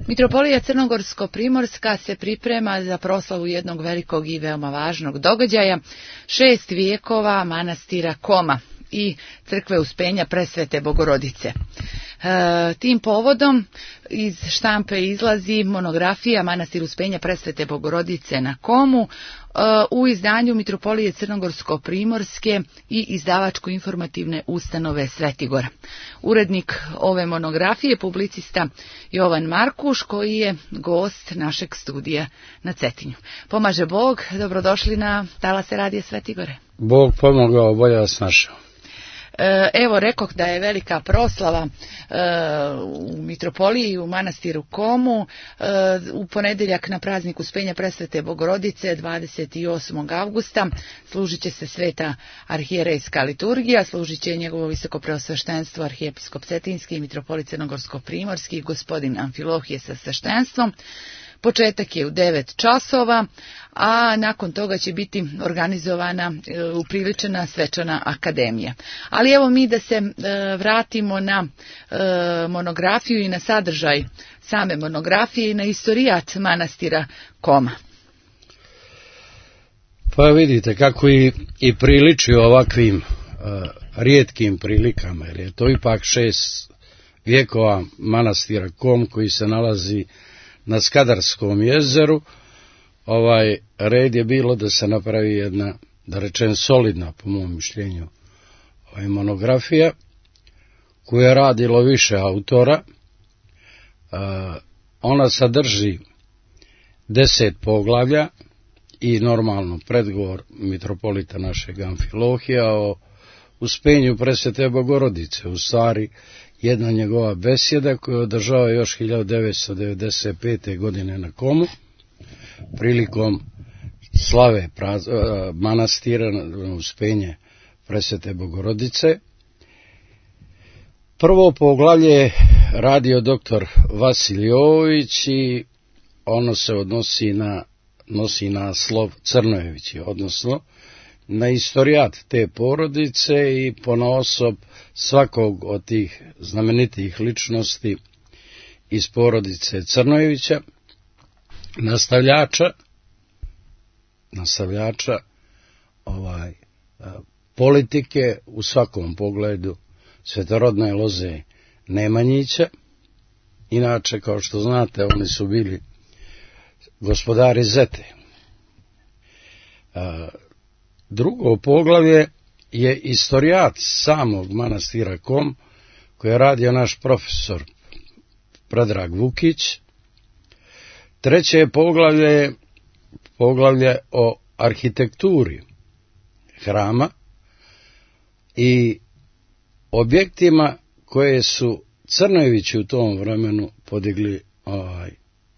Mitropolija Crnogorsko-Primorska se priprema za proslavu jednog velikog i veoma važnog događaja, 6 vijekova manastira Koma i crkve Uspenja Presvete Bogorodice. Tim povodom iz štampe izlazi monografija Manastir Uspenja Presvete Bogorodice na Komu u izdanju Mitropolije Crnogorsko-Primorske i izdavačko-informativne ustanove Svetigora. Urednik ove monografije, publicista Jovan Markuš, koji je gost našeg studija na Cetinju. Pomaže Bog, dobrodošli na talase Radija Svetigore. Bog pomogao, bolje vas našao. Evo, rekoh da je velika proslava u Mitropoliji, u manastiru Komu, u ponedjeljak na praznik Uspenja Presvete Bogorodice, 28. avgusta, služit će se sveta arhijerejska liturgija, služit će njegovo visoko preosveštenstvo arhijepiskop Cetinski i mitropolit Crnogorsko-Primorski, gospodin Amfilohije sa sveštenstvom. Početak je u 9 časova, a nakon toga će biti organizovana upriličena svečana akademija. Ali evo mi da se vratimo na monografiju i na sadržaj same monografije i na istorijat manastira Koma. Pa vidite kako i priliči ovakvim rijetkim prilikama, jer je to ipak 6 vijekova manastira Kom koji se nalazi na Skadarskom jezeru. Red je bilo da se napravi jedna, da rečem, solidna, po mom mišljenju, monografija koju je radilo više autora. Ona sadrži 10 poglavlja i normalno predgovor mitropolita našeg Amfilohija o Uspenju Presvete Bogorodice, u stvari jedna njegova besjeda koju je održao još 1995. godine na Komu, prilikom slave manastira Uspenje Presvete Bogorodice. Prvo poglavlje je radio doktor Vasilij Jovović i ono se nosi naslov Crnojevići, odnosno na istorijat te porodice i ponaosob svakog od tih znamenitih ličnosti iz porodice Crnojevića, nastavljača politike u svakom pogledu svetorodne loze Nemanjića. Inače, kao što znate, oni su bili gospodari Zete. Drugo poglavlje je istorijat samog manastira Kom, koji je radio naš profesor Predrag Vukić. Treće poglavlje je poglavlje o arhitekturi hrama i objektima koje su Crnojevići u tom vremenu podigli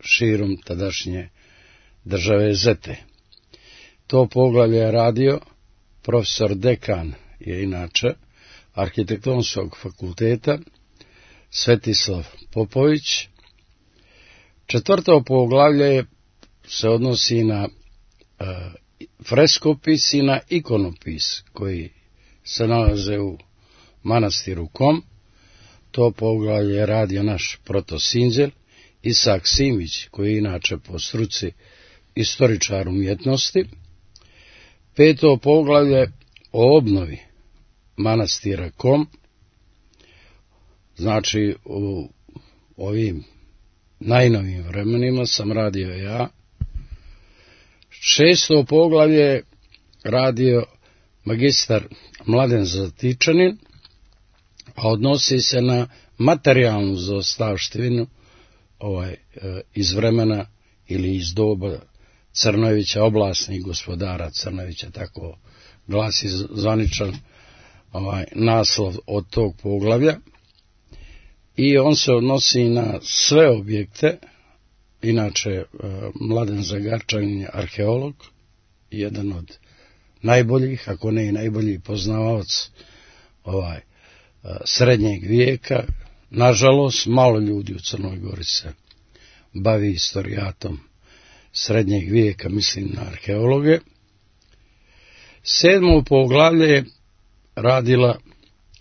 širom tadašnje države Zete. To poglavlje je radio profesor dekan, je inače Arhitektonskog fakulteta, Svetislav Popović. Četvrto poglavlje se odnosi na freskopis i na ikonopis koji se nalaze u manastiru Kom. To poglavlje je radio naš protosinđel Isak Simić, koji je inače po struci istoričar umjetnosti. Peto poglavlje o obnovi manastira Kom, znači u ovim najnovijim vremenima sam radio ja. Šesto poglavlje radio magistar Mladen Zatičanin, a odnosi se na materijalnu zaostavštinu iz vremena ili iz doba Crnojevića, oblasnih gospodara Crnojevića, tako glasi zvaničan naslov od tog poglavlja. I on se odnosi na sve objekte. Inače, Mladen Zagarčanin je arheolog, jedan od najboljih, ako ne i najbolji poznavaoc srednjeg vijeka. Nažalost, malo ljudi u Crnoj Gori se bavi istorijatom srednjeg vijeka, mislim na arheologe. Sedmo poglavlje je radila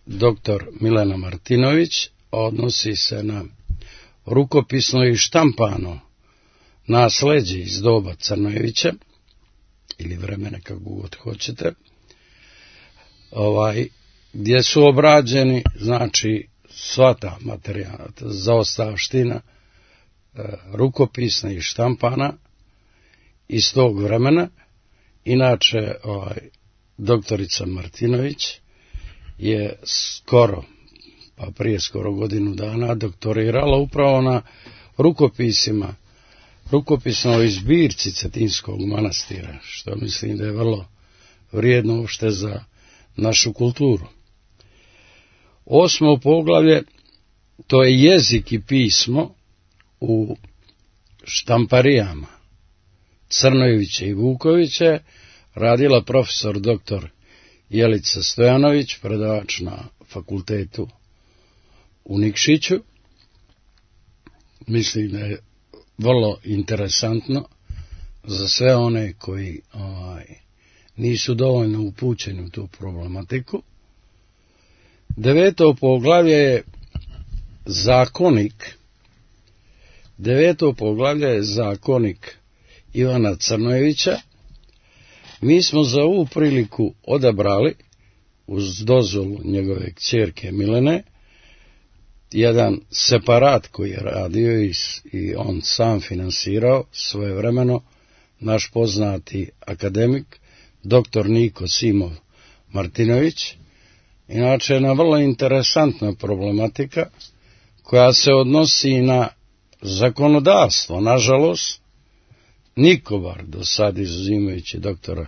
doktor Milena Martinović, odnosi se na rukopisno i štampano nasleđe iz doba Crnojevića, ili vremena kako god hoćete, gdje su obrađeni, znači, sva ta materijala, zaostavština, rukopisna i štampana iz tog vremena. Inače, doktorica Martinović je prije skoro godinu dana doktorirala upravo na rukopisnoj zbirci Cetinskog manastira, što mislim da je vrlo vrijedno uopšte za našu kulturu. 8. poglavlje, to je jezik i pismo u štamparijama Crnojevića i Vukovića, radila profesor dr. Jelica Stojanović, predavač na fakultetu u Nikšiću. Mislim da je vrlo interesantno za sve one koji nisu dovoljno upućeni u tu problematiku. 9. poglavlje je zakonik. 9. poglavlje je zakonik Ivana Crnojevića. Mi smo za ovu priliku odabrali, uz dozvolu njegove kćerke Milene, jedan separat koji je radio i on sam finansirao svojevremeno, naš poznati akademik, dr. Niko Simov Martinović. Inače, jedna vrlo interesantna problematika koja se odnosi na zakonodavstvo. Nažalost, niko bar do sad, izuzimajući doktora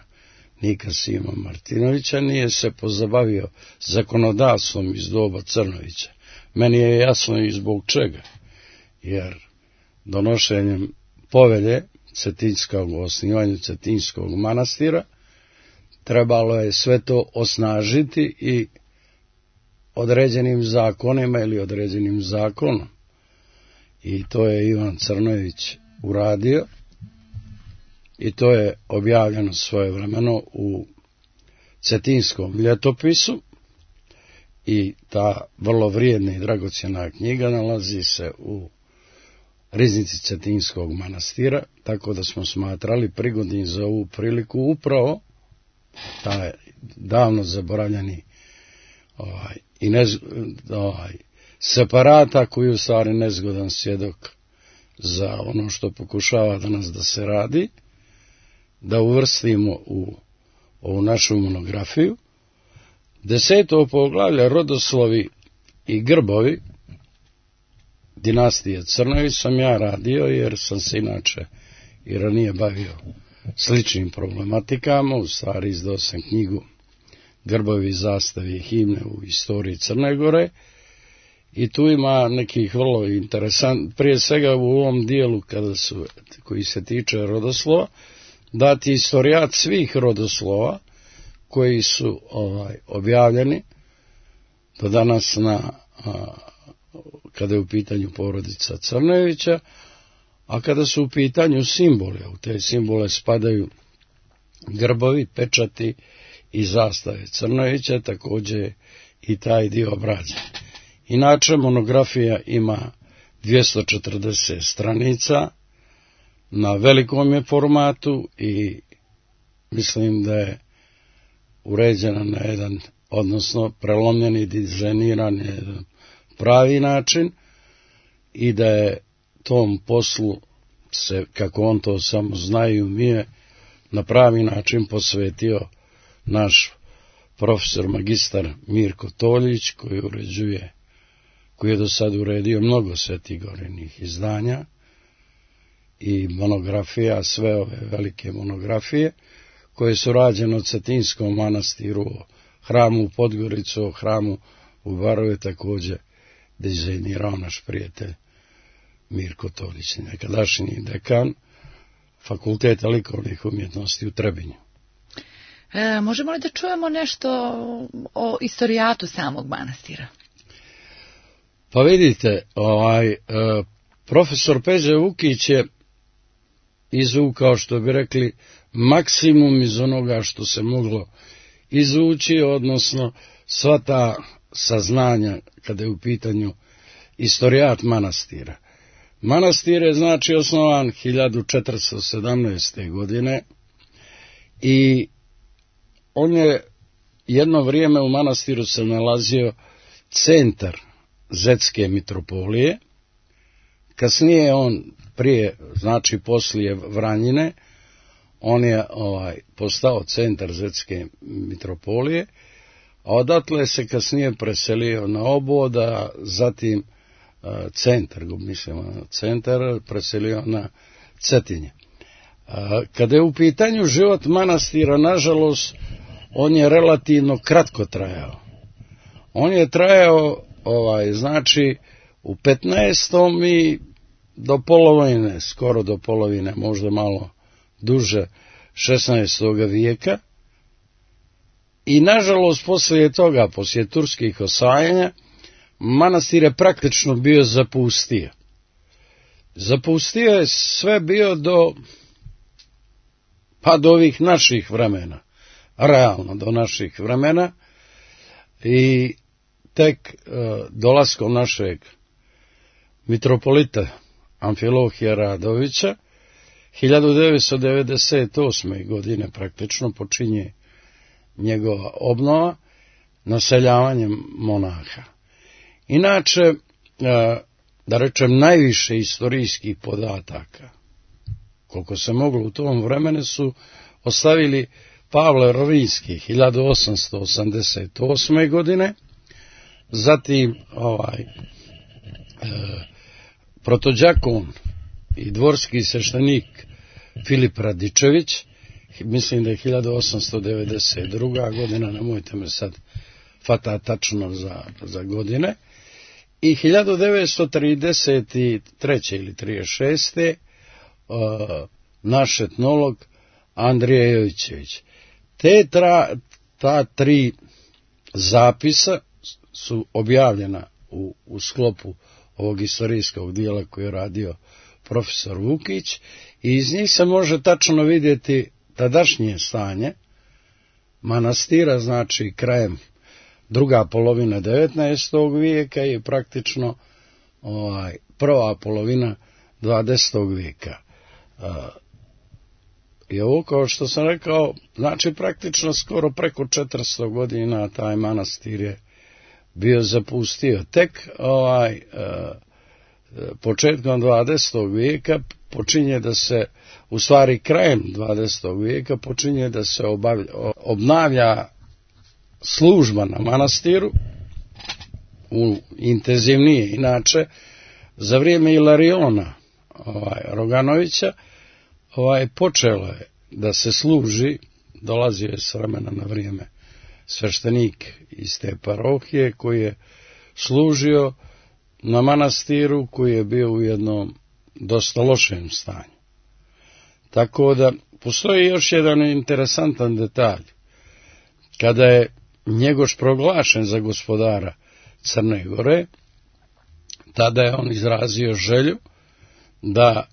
Nika Sima Martinovića, nije se pozabavio zakonodavstvom iz doba Crnojevića. Meni je jasno i zbog čega, jer donošenjem povelje o osnivanju Cetinskog manastira trebalo je sve to osnažiti i određenim zakonima ili određenim zakonom. I to je Ivan Crnojević uradio i to je objavljeno svojevremeno u Cetinskom ljetopisu i ta vrlo vrijedna i dragocjena knjiga nalazi se u riznici Cetinskog manastira, tako da smo smatrali prigodnim za ovu priliku upravo taj davno zaboravljeni separata koji je u stvari nezgodan svjedok za ono što pokušava danas da se radi, da uvrstimo u ovu našu monografiju. 10. poglavlje rodoslovi i grbovi dinastije Crnojević sam ja radio, jer sam se inače i ranije bavio sličnim problematikama. U stvari izdao sam knjigu Grbovi, zastave i himne u istoriji Crne Gore i tu ima nekih vrlo interesantnih, prije svega u ovom dijelu koji se tiče rodoslova, dati istorijat svih rodoslova koji su objavljeni do danas kada je u pitanju porodica Crnojevića, a kada su u pitanju simboli, u te simbole spadaju grbovi, pečati i zastave Crnojevića, također i taj dio obrađen. Inače, monografija ima 240 stranica, na velikom je formatu i mislim da je uređena na jedan, odnosno prelomljen i dizajniran na jedan pravi način i da je tom poslu se, kako on to samo zna i umije, na pravi način posvetio naš profesor magistar Mirko Toljić, koji je do sad uredio mnogo Svetigorinih izdanja i monografija, sve ove velike monografije koje su rađene o Cetinskom manastiru, o hramu u Podgoricu, o hramu u Baroju, također dizajnirao naš prijatelj Mirko Toljić, nekadašnji dekan Fakulteta likovnih umjetnosti u Trebinju. Možemo li da čujemo nešto o istorijatu samog manastira? Pa vidite, profesor Peđa Vukić je izvukao, što bi rekli, maksimum iz onoga što se moglo izvući, odnosno sva ta saznanja kada je u pitanju istorijat manastira. Manastir je znači osnovan 1417. godine i on je jedno vrijeme u manastiru se nalazio centar Zetske mitropolije. Kasnije on znači poslije Vranjine, on je postao centar Zetske mitropolije, a odatle se kasnije preselio na Oboda, zatim centar preselio na Cetinje. Kada je u pitanju život manastira, nažalost, on je relativno kratko trajao. On je trajao, znači, u 15. i do polovine, skoro do polovine, možda malo duže, 16. vijeka. I, nažalost, poslije toga, poslije turskih osvajanja, manastir je praktično bio zapustio. Zapustio je sve bio do ovih naših vremena, realno do naših vremena, i tek dolaskom našeg mitropolita Amfilohija Radovića 1998. godine praktično počinje njegova obnova naseljavanjem monaha. Inače, da rečem, najviše istorijskih podataka, koliko se moglo u tom vremenu, su ostavili Pavle Rovinski 1888. godine, zatim protođakon i dvorski sveštenik Filip Radičević, mislim da je 1892. godina, nemojte me sad fata tačno za godine, i 1933. ili 36. naš etnolog Andrija Jovićević. Ta tri zapisa su objavljena u sklopu ovog istorijskog dijela koji je radio profesor Vukić, i iz njih se može tačno vidjeti tadašnje stanje manastira, znači krajem druga polovina 19. vijeka i praktično prva polovina 20. vijeka. I ovo, kao što sam rekao, znači praktično skoro preko 400 godina taj manastir je bio zapustio. Tek početkom 20. vijeka počinje da se, u stvari krajem 20. vijeka počinje da se obnavlja služba na manastiru, intenzivnije. Inače, za vrijeme Ilariona Roganovića počelo je da se služi, dolazio je s vremena na vrijeme sveštenik iz te parohije koji je služio na manastiru koji je bio u jednom dosta lošem stanju. Tako da postoji još jedan interesantan detalj. Kada je Njegoš proglašen za gospodara Crne Gore, tada je on izrazio želju da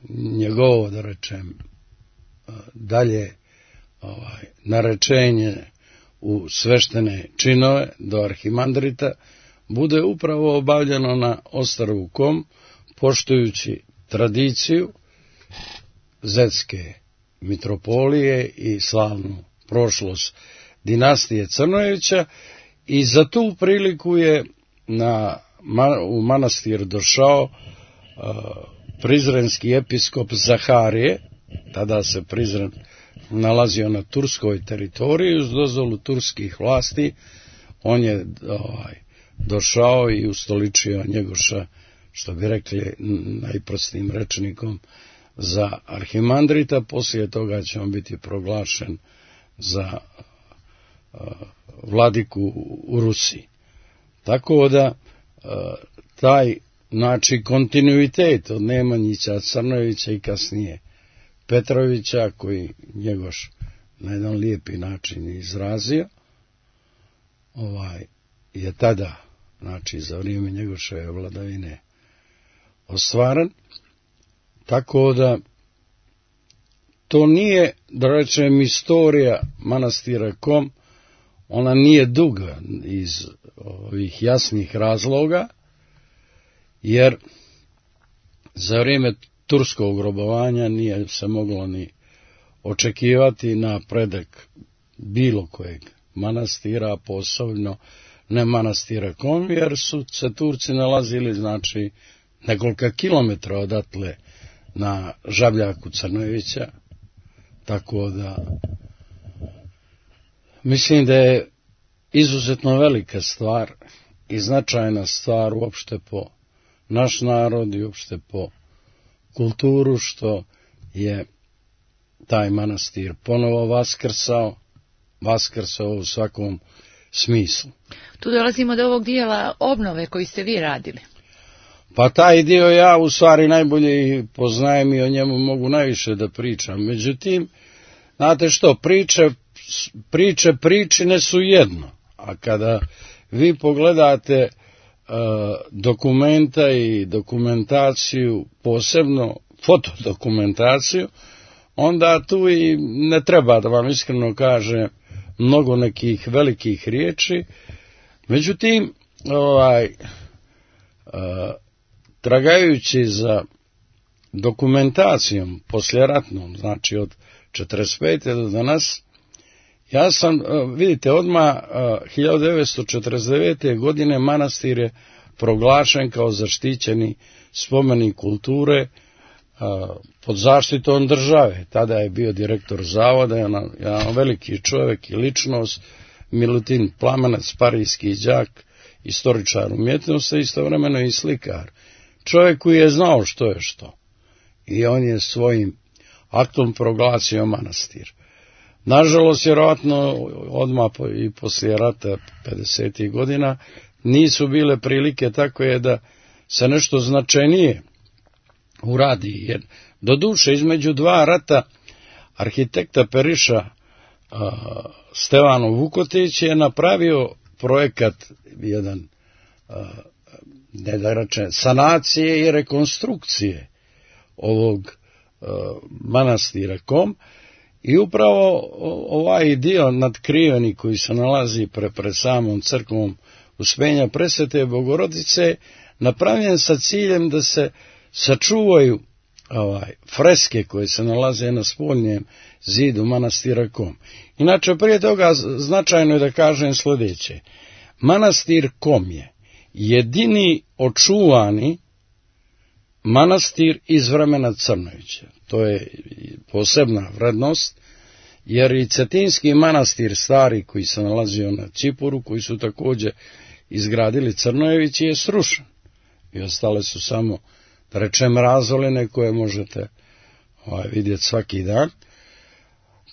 njegovo, da rečem, dalje narečenje u sveštene činove do arhimandrita bude upravo obavljeno na ostrvu Kom, poštujući tradiciju Zetske mitropolije i slavnu prošlost dinastije Crnojevića, i za tu priliku je u manastir došao prizrenski episkop Zaharije. Tada se Prizren nalazio na turskoj teritoriji uz dozvolu turskih vlasti. On je došao i ustoličio Njegoša, što bi rekli najprostijim rečnikom, za arhimandrita. Poslije toga će on biti proglašen za vladiku u Rusiji. Tako da taj, znači, kontinuitet od Nemanjića, Crnojevića i kasnije Petrovića, koji Njegoš na jedan lijepi način izrazio, je tada, znači za vrijeme Njegoševe vladavine, ostvaren. Tako da to nije, da rečem, istorija manastira Kom, ona nije duga iz ovih jasnih razloga, jer Za vrijeme turskog robovanja nije se moglo ni očekivati napredak bilo kojeg manastira, posebno ne manastira Kom, jer su se Turci nalazili, znači, nekoliko kilometra odatle na Žabljaku Crnojevića, tako da mislim da je izuzetno velika stvar i značajna stvar uopšte po naš narod i uopšte po kulturu, što je taj manastir ponovo vaskrsao u svakom smislu. Tu dolazimo do ovog dijela obnove koji ste vi radili. Pa taj dio ja u stvari najbolje poznajem i o njemu mogu najviše da pričam. Međutim, znate što, pričine su jedno, a kada vi pogledate dokumenta i dokumentaciju, posebno fotodokumentaciju, onda tu i ne treba da vam iskreno kažem mnogo nekih velikih riječi. Međutim, tragajući za dokumentacijom posljeratnom, znači od 45. do danas, ja sam, vidite, odmah 1949. godine manastir je proglašen kao zaštićeni spomenik kulture pod zaštitom države. Tada je bio direktor zavoda, jedan veliki čovjek i ličnost, Milutin Plamanac, parijski đak, istoričar umjetnosti, istovremeno i slikar. Čovjek koji je znao što je što. I on je svojim aktom proglasio manastir. Nažalost, vjerojatno, odmah i poslije rata 50. godina, nisu bile prilike tako je da se nešto značajnije uradi. Jer, doduše, između dva rata arhitekta Periša Stevano Vukotić je napravio projekat jedan, ne da rečem, sanacije i rekonstrukcije ovog manastira Kom, i upravo ovaj dio nadkriveni koji se nalazi pred samom crkvom Uspenja Presvete Bogorodice napravljen sa ciljem da se sačuvaju freske koje se nalaze na spoljnjem zidu manastira Kom. Inače, prije toga značajno je da kažem sljedeće. Manastir Kom je jedini očuvani manastir iz vremena Crnojevića. To je posebna vrednost, jer i Cetinski manastir stari koji se nalazio na Cipuru, koji su također izgradili Crnojevići, je srušen. I ostale su samo, da rečem, razoline koje možete vidjeti svaki dan.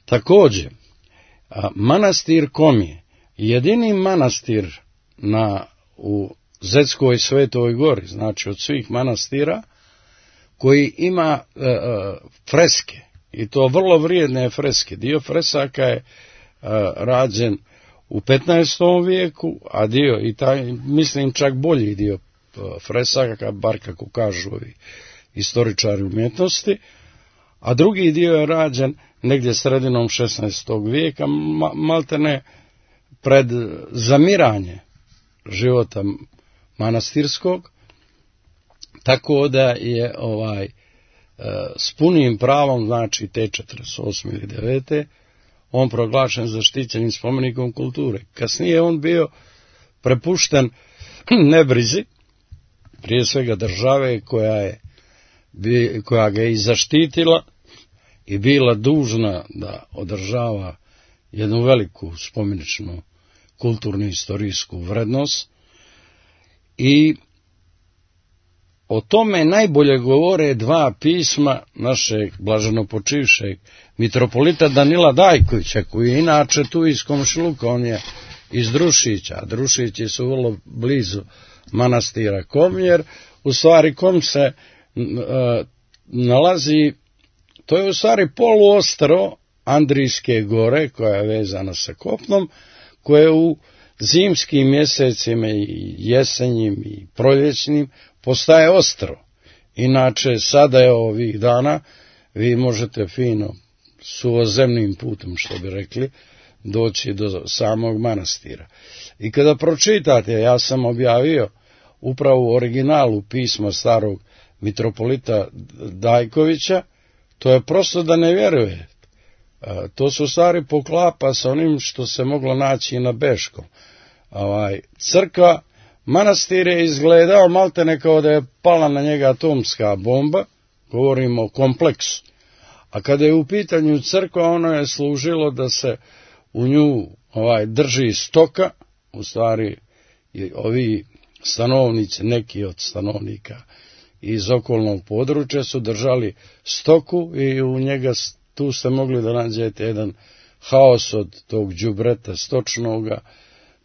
Također, manastir Kom je jedini manastir u Zetskoj Svetoj Gori, znači od svih manastira, koji ima freske, i to vrlo vrijedne freske. Dio fresaka je rađen u 15. vijeku, a dio, i taj, mislim, čak bolji dio fresaka, bar kako kažu ovi istoričari umjetnosti, a drugi dio je rađen negdje sredinom 16. vijeka, maltene pred zamiranje života manastirskog, tako da je s punim pravom, znači te 48. ili 9. on proglašen zaštićenim spomenikom kulture. Kasnije on bio prepušten nebrizi, prije svega države koja ga je i zaštitila i bila dužna da održava jednu veliku spomeničnu kulturnu istorijsku vrednost. I o tome najbolje govore dva pisma našeg blaženopočivšeg mitropolita Danila Dajkovića, koji je inače tu iz komšiluka, on je iz Drušića, a Drušići su vrlo blizu manastira Kom, jer u stvari Kom se nalazi, to je u stvari poluostrvo Andrijske gore, koja je vezana sa kopnom, koje u zimskim mjesecima i jesenjim i proljećnim postaje ostrvo. Inače, sada je ovih dana, vi možete fino suvozemnim putem, što bi rekli, doći do samog manastira. I kada pročitate, ja sam objavio upravo u originalu pisma starog mitropolita Dajkovića, to je prosto da ne vjeruje. To se u stvari poklapa sa onim što se moglo naći i na Beškom. Crkva, manastir je izgledao maltene kao da je pala na njega atomska bomba, govorimo o kompleksu. A kada je u pitanju crkva, ono je služilo da se u nju drži stoka, u stvari ovi stanovnici, neki od stanovnika iz okolnog područja su držali stoku i u njega tu ste mogli da nađete jedan haos od tog đubreta stočnoga,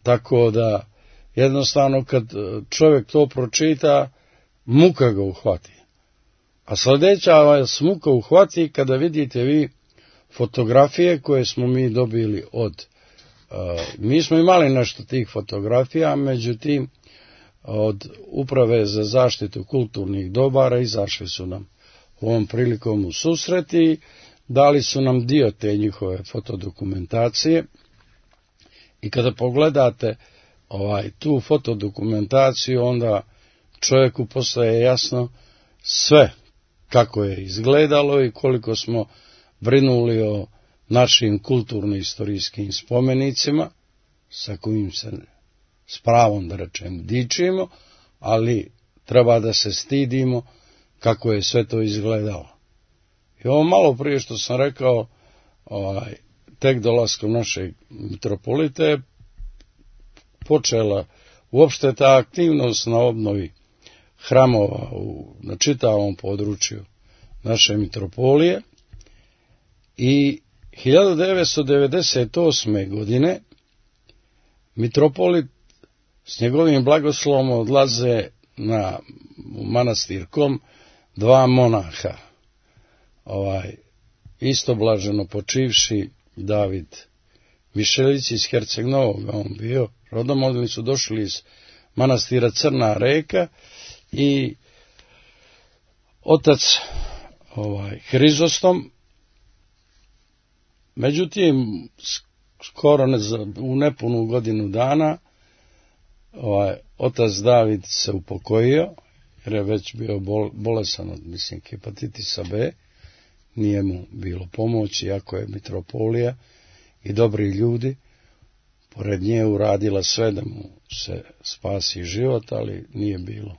tako da jednostavno kad čovjek to pročita, muka ga uhvati. A sljedeća vas muka uhvati kada vidite vi fotografije koje smo mi dobili mi smo imali nešto tih fotografija, međutim od Uprave za zaštitu kulturnih dobara izašli su nam ovom prilikom u susret i dali su nam dio te njihove fotodokumentacije. I kada pogledate tu fotodokumentaciju, onda čovjeku postaje jasno sve kako je izgledalo i koliko smo brinuli o našim kulturno-istorijskim spomenicima, sa kojim se s pravom da rečem dičimo, ali treba da se stidimo kako je sve to izgledalo. I ovo malo prije što sam rekao, tek dolaskom našeg mitropolita je počela uopšte ta aktivnost na obnovi hramova na čitavom području naše mitropolije i 1998. godine mitropolit s njegovim blagoslovom odlaze u manastir Kom dva monaha, istoblaženo počivši David Mišelić iz Herceg Novoga, on bio rodom, oni su došli iz manastira Crna Reka i otac Hrizostom. Međutim, skoro u nepunu godinu dana otac David se upokojio, jer je već bio bolesan od hepatitisa B, nije mu bilo pomoći, iako je mitropolija i dobri ljudi pored nje uradila sve da mu se spasi život, ali nije bilo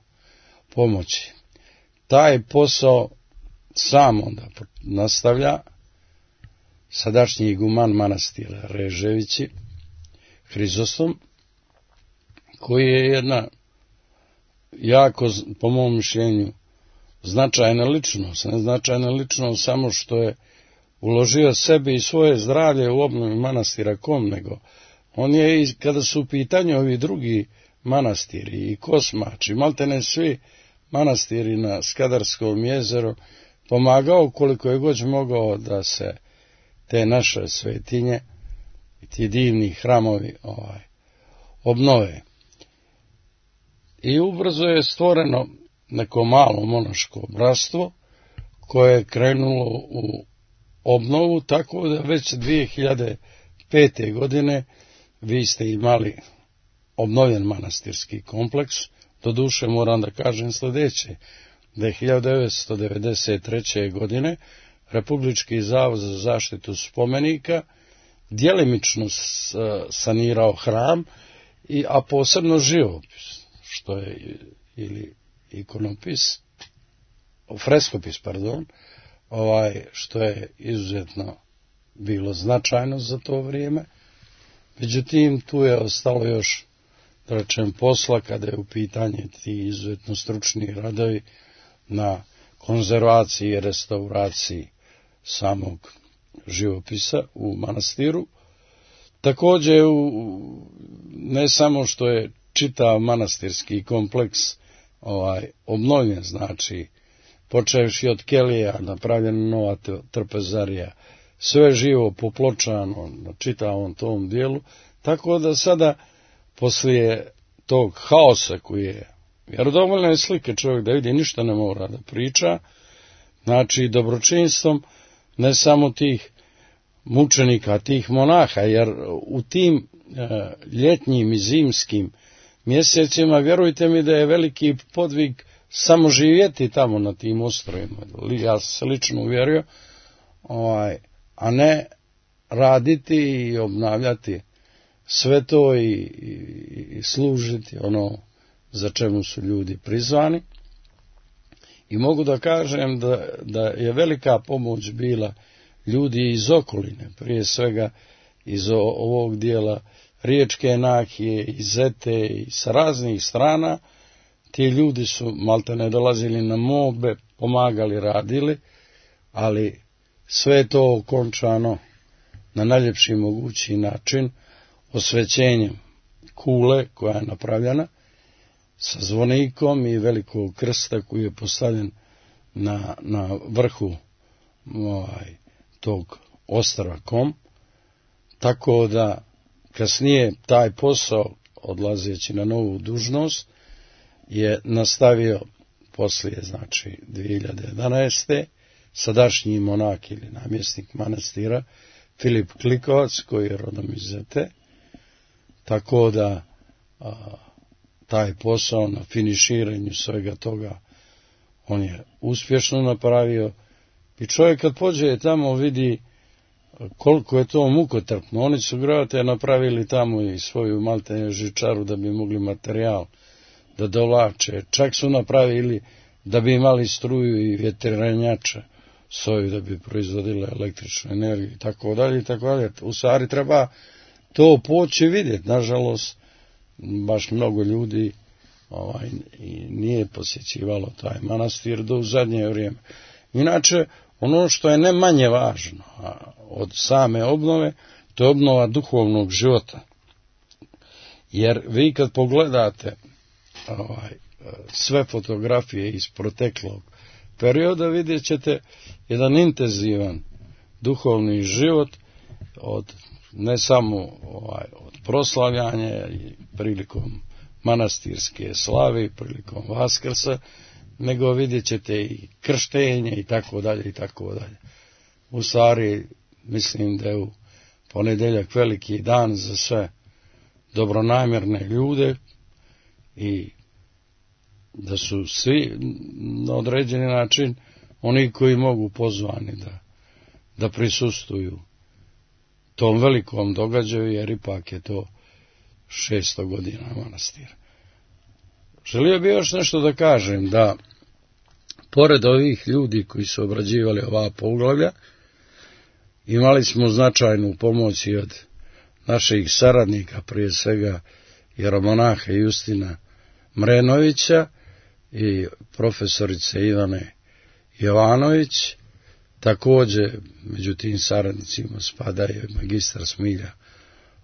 pomoći. Taj posao sam onda nastavlja sadašnji iguman manastira Reževići, Hrizostom, koji je jedna jako, po mom mišljenju, značajna ličnost. Ne značajna ličnost samo što je uložio sebi i svoje zdravlje u obnovu manastira Kom, nego on je, kada su u pitanju ovi drugi manastiri i Kosmač i maltene svi manastiri na Skadarskom jezeru, pomagao koliko je god mogao da se te naše svetinje i ti divni hramovi obnove. I ubrzo je stvoreno neko malo monaško bratstvo koje je krenulo u obnovu, tako da već 2005. godine vi ste imali obnovljen manastirski kompleks. Doduše moram da kažem sljedeće, da je 1993. godine Republički zavod za zaštitu spomenika djelimično sanirao hram, a posebno živopis, što je ili ikonopis, freskopis, što je izuzetno bilo značajno za to vrijeme. Međutim, tu je ostalo još, da rečem, posla kada je u pitanju ti izuzetno stručni radovi na konzervaciji i restauraciji samog živopisa u manastiru. Također, ne samo što je čitav manastirski kompleks obnovljen, znači počevši od kelija, napravljena nova trpezarija, sve živo popločano na čitavom tom dijelu, tako da sada poslije tog haosa koji je, jer dovoljno je slike čovjek da vidi, ništa ne mora da priča, znači dobročinstvom ne samo tih mučenika, tih monaha, jer u tim ljetnjim i zimskim mjesecima, vjerujte mi da je veliki podvig samo živjeti tamo na tim ostrvima. Ja sam se lično uvjerio, a ne raditi i obnavljati sve to i služiti ono za čemu su ljudi prizvani. I mogu da kažem da je velika pomoć bila ljudi iz okoline, prije svega iz ovog dijela Riječke nahije, iz Zete i sa raznih strana. Ti ljudi su maltene dolazili na mobe, pomagali, radili, ali sve je to okončano na najljepši mogući način osvećenjem kule koja je napravljena sa zvonikom i velikog krsta koji je postavljen na vrhu tog ostrva Kom, tako da kasnije taj posao, odlazeći na novu dužnost, je nastavio poslije, znači 2011. sadašnji monak ili namjesnik manastira Filip Klikovac, koji je rodom iz Zete, tako da taj posao na finiširanju svega toga on je uspješno napravio i čovjek kad pođe tamo vidi koliko je to mukotrpno. Oni su grate napravili tamo i svoju maltene žičaru da bi mogli materijal da dovlače. Čak su napravili da bi imali struju i vjetrenjače soju da bi proizvodile električnu energiju i tako dalje i tako dalje. U stvari treba to poći vidjeti. Nažalost, baš mnogo ljudi nije posjećivalo taj manastir do u zadnje vrijeme. Inače, ono što je ne manje važno od same obnove, to je obnova duhovnog života. Jer vi kad pogledate sve fotografije iz proteklog perioda, vidjet ćete jedan intenzivan duhovni život od ne samo od proslavljanja prilikom manastirske slave, prilikom Vaskrsa, nego vidjet ćete i krštenje i tako dalje i tako dalje. U stvari mislim da je u ponedjeljak veliki dan za sve dobronamjerne ljude i da su svi na određeni način oni koji mogu pozvani da prisustvuju tom velikom događaju, jer ipak je to 600 godina manastira. Želio bih još nešto da kažem, da pored ovih ljudi koji su obrađivali ova poglavlja, imali smo značajnu pomoć i od naših saradnika, prije svega jeromonaha Justina Mrenovića i profesorice Ivane Jovanović. Također među tim saradnicima spada i magistar Smilja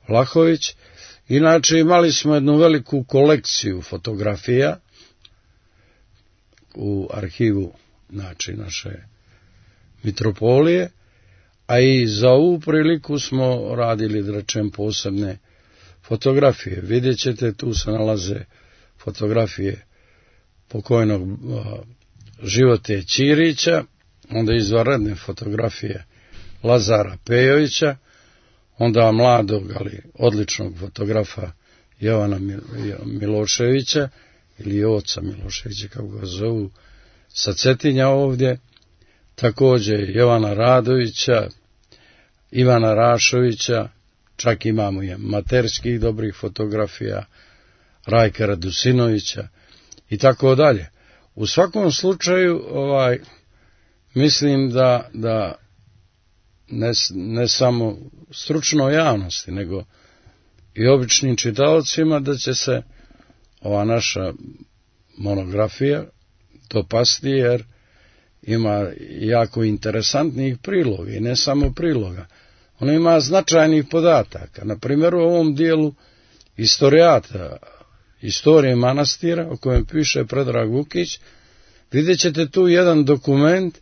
Vlahović. Inače imali smo jednu veliku kolekciju fotografija u arhivu, znači, naše mitropolije, a i za ovu priliku smo radili, da rečem, posebne fotografije. Vidjet ćete, tu se nalaze fotografije pokojnog Živote Ćirića, onda izvanredne fotografije Lazara Pejovića, onda mladog, ali odličnog fotografa Jovana Miloševića, ili oca Miloševića, kako ga zovu, sa Cetinja ovdje, također Jovana Radovića, Ivana Rašovića, čak imamo i materskih dobrih fotografija, Rajka Radusinovića i tako dalje. U svakom slučaju, mislim da ne samo stručnoj javnosti, nego i običnim čitaocima, da će se ova naša monografija dopasti, jer ima jako interesantnih priloga i ne samo priloga. Ona ima značajnih podataka. Na primjer, u ovom dijelu istorijata, istorije manastira, o kojem piše Predrag Vukić, vidjet ćete tu jedan dokument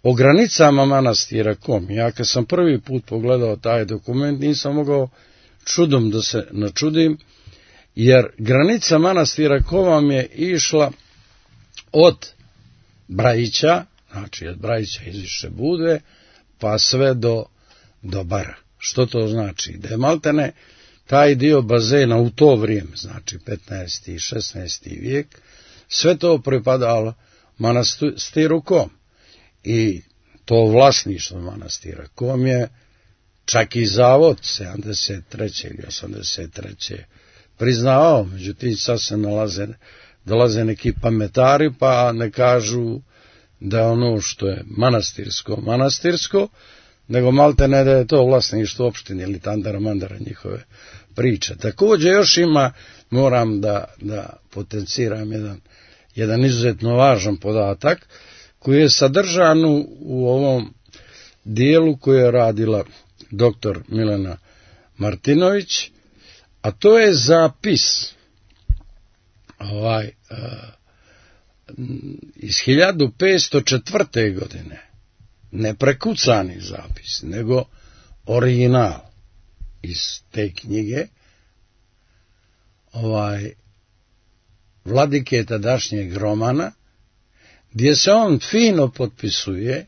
o granicama manastira Kom. Ja kad sam prvi put pogledao taj dokument, nisam mogao čudom da se načudim, jer granica manastira Kom je išla od Brajića, znači od Brajića iz Više Budve, pa sve do Bara. Što to znači? Da je maltene taj dio bazena u to vrijeme, znači 15. i 16. vijek, sve to pripadalo manastiru Kom. I to vlasništvo manastira Kom je čak i zavod 73. ili 83. priznavao, međutim sad se dolaze neki pametari pa ne kažu da ono što je manastirsko, nego malte ne da je to vlasništvo opštine ili tandara mandara njihove priče. Također još ima, moram da potenciram jedan izuzetno važan podatak koji je sadržan u ovom dijelu koje je radila doktor Milena Martinović, a to je zapis iz 1504. godine, ne prekucani zapis, nego original iz te knjige vladike tadašnjeg Romana, gdje se on fino potpisuje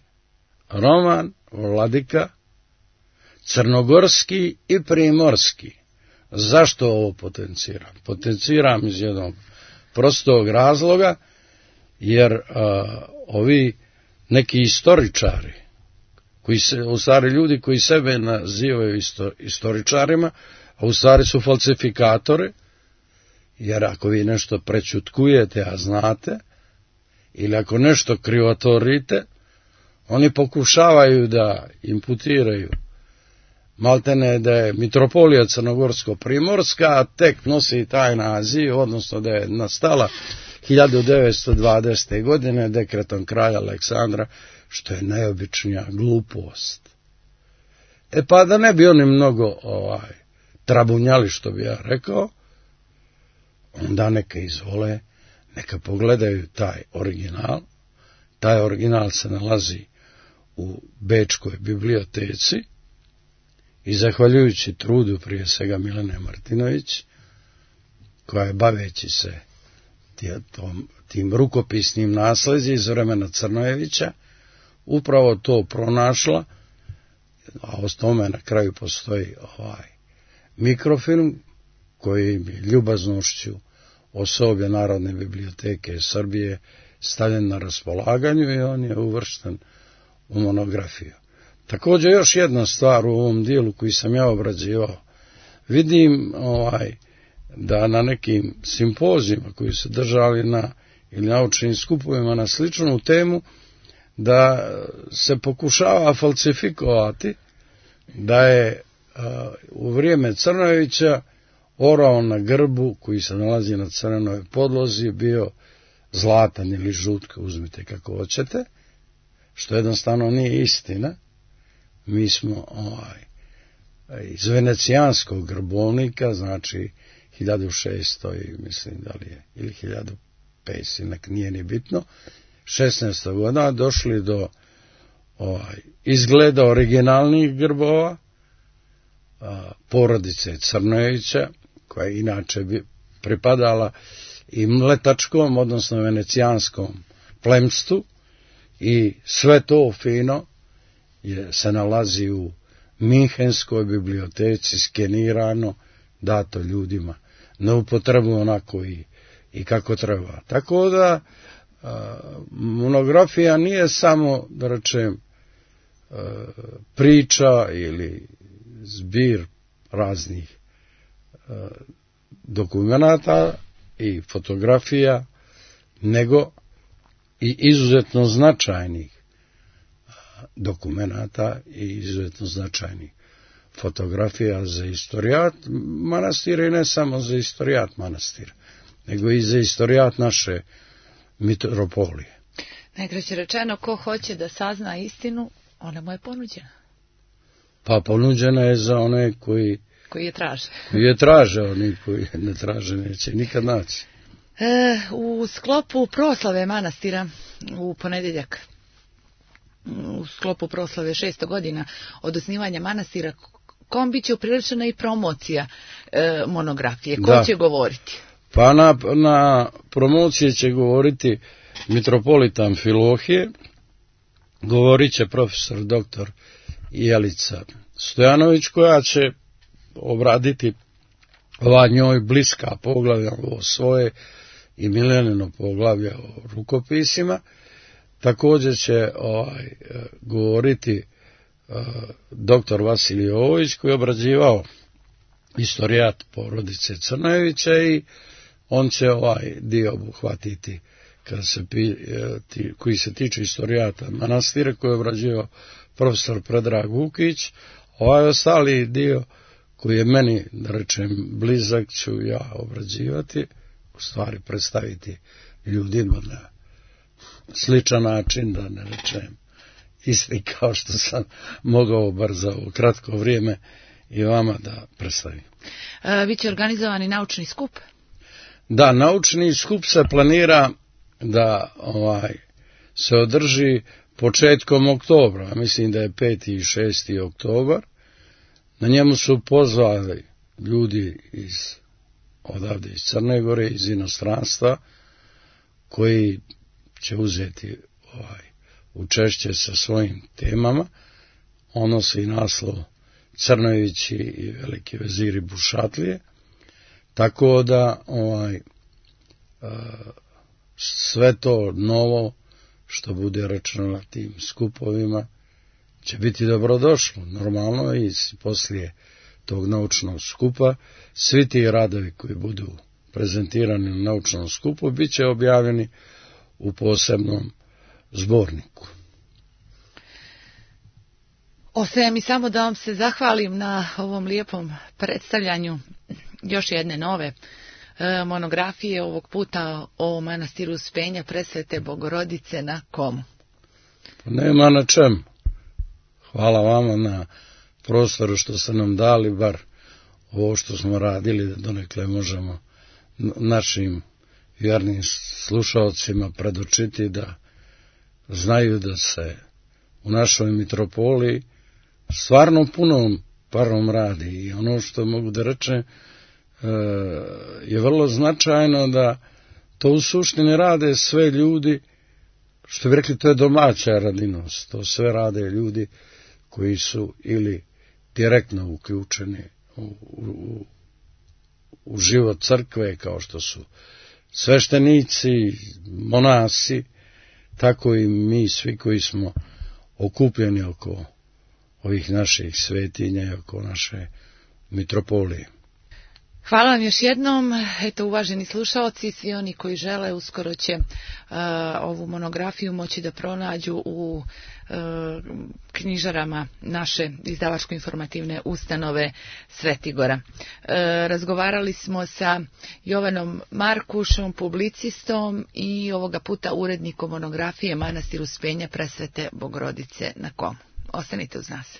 Roman vladika crnogorski i primorski. Zašto ovo potenciram? Potenciram iz jednog prostog razloga, jer ovi neki istoričari, u stvari ljudi koji sebe nazivaju istoričarima, a u stvari su falsifikatori, jer ako vi nešto prećutkujete, a znate, ili ako nešto krivotvorite, oni pokušavaju da imputiraju maltene da je mitropolija crnogorsko-primorska, a tek nosi taj naziv, odnosno da je nastala 1920. godine dekretom kralja Aleksandra, što je najobičnija glupost. Pa da ne bi oni mnogo trabunjali, što bi ja rekao, onda neka izvole, neka pogledaju taj original. Taj original se nalazi u Bečkoj biblioteci i zahvaljujući trudu prije svega Milene Martinović, koja je baveći se tim rukopisnim nasljeđem iz vremena Crnojevića, upravo to pronašla, a o tome na kraju postoji mikrofilm koji je ljubaznošću osoblja Narodne biblioteke Srbije stavljen na raspolaganju i on je uvršten u monografiju. Također još jedna stvar u ovom dijelu koji sam ja obrađivao. Vidim da na nekim simpozijima koji su držali ili naučnim skupovima na sličnu temu, da se pokušava falsifikovati da je u vrijeme Crnojevića orao na grbu koji se nalazi na crvenoj podlozi bio zlatan ili žutka, uzmite kako hoćete, što jednostavno nije istina. Mi smo iz venecijanskog grbovnika, znači 1600 mislim da li je, ili 1500, nije ni bitno, 16. godina došli do izgleda originalnih grbova porodice Crnojevića, koja je inače pripadala i mletačkom, odnosno venecijanskom plemstvu, i sve to fino se nalazi u Minhenskoj biblioteci, skenirano, dato ljudima na upotrebu onako i kako treba. Tako da monografija nije samo, da rečem, priča ili zbir raznih dokumenata i fotografija, nego i izuzetno značajnih dokumenata i izuzetno značajnih fotografija za istorijat manastira, i ne samo za istorijat manastira, nego i za istorijat naše mitropolije. Najkraće rečeno, ko hoće da sazna istinu, ona mu je ponuđena. Pa ponuđena je za one koji je traže. Koji je traže, oni koji ne traže neće nikad naći. U sklopu proslave manastira u ponedjeljak, u sklopu proslave 600 godina od osnivanja manastira Kom, bit će upriličena i promocija monografije. Ko će govoriti? Pa na promociji će govoriti mitropolita Amfilohije, govorit će profesor doktor Jelica Stojanović, koja će obraditi ova njoj bliska poglavlja, ovo svoje i Milenino poglavlje o rukopisima. Također će govoriti dr. Vasilij Jovović, koji je obrađivao istorijat porodice Crnojevića, i on će ovaj dio obuhvatiti koji se tiče istorijata manastira, koji je obrađivao profesor Predrag Vukić. Ovaj ostali dio koji je meni, da rečem, blizak, ću ja obrađivati, u stvari predstaviti ljudima na sličan način, da ne rečem isti kao što sam mogao bar za ovo kratko vrijeme i vama da predstavim. Biće organizovani naučni skup? Da, naučni skup se planira da se održi početkom oktobra, mislim da je 5. i 6. oktobar. Na njemu su pozvali ljudi odavde iz Crne Gore, iz inostranstva, koji će uzeti učešće sa svojim temama. Ono se i naslov Crnojevići i veliki veziri Bušatlije, tako da sve to novo što bude rečeno na tim skupovima će biti dobrodošlo. Normalno i poslije tog naučnog skupa svi ti radovi koji budu prezentirani na naučnom skupu bit će objavljeni u posebnom zborniku. Ostaje mi samo da vam se zahvalim na ovom lijepom predstavljanju još jedne nove monografije, ovog puta o manastiru Uspenja Presvete Bogorodice na Komu. Nema na čemu. Hvala vama na prostoru što ste nam dali, bar ovo što smo radili, da donekle možemo našim vjernim slušalcima predočiti, da znaju da se u našoj mitropoliji stvarno punom parom radi. I ono što mogu da rečem je vrlo značajno, da to u suštini rade sve ljudi, što bi rekli, to je domaća radinost. To sve rade ljudi koji su ili direktno uključeni u život crkve, kao što su sveštenici, monasi, tako i mi svi koji smo okupljeni oko ovih naših svetinja i oko naše mitropolije. Hvala vam još jednom. Eto, uvaženi slušalci, svi oni koji žele, uskoro će ovu monografiju moći da pronađu u knjižarama naše izdavačko-informativne ustanove Svetigora. Razgovarali smo sa Jovanom Markušom, publicistom, i ovoga puta urednikom monografije Manastir Uspenja Presvete Bogorodice na Komu. Ostanite uz nas.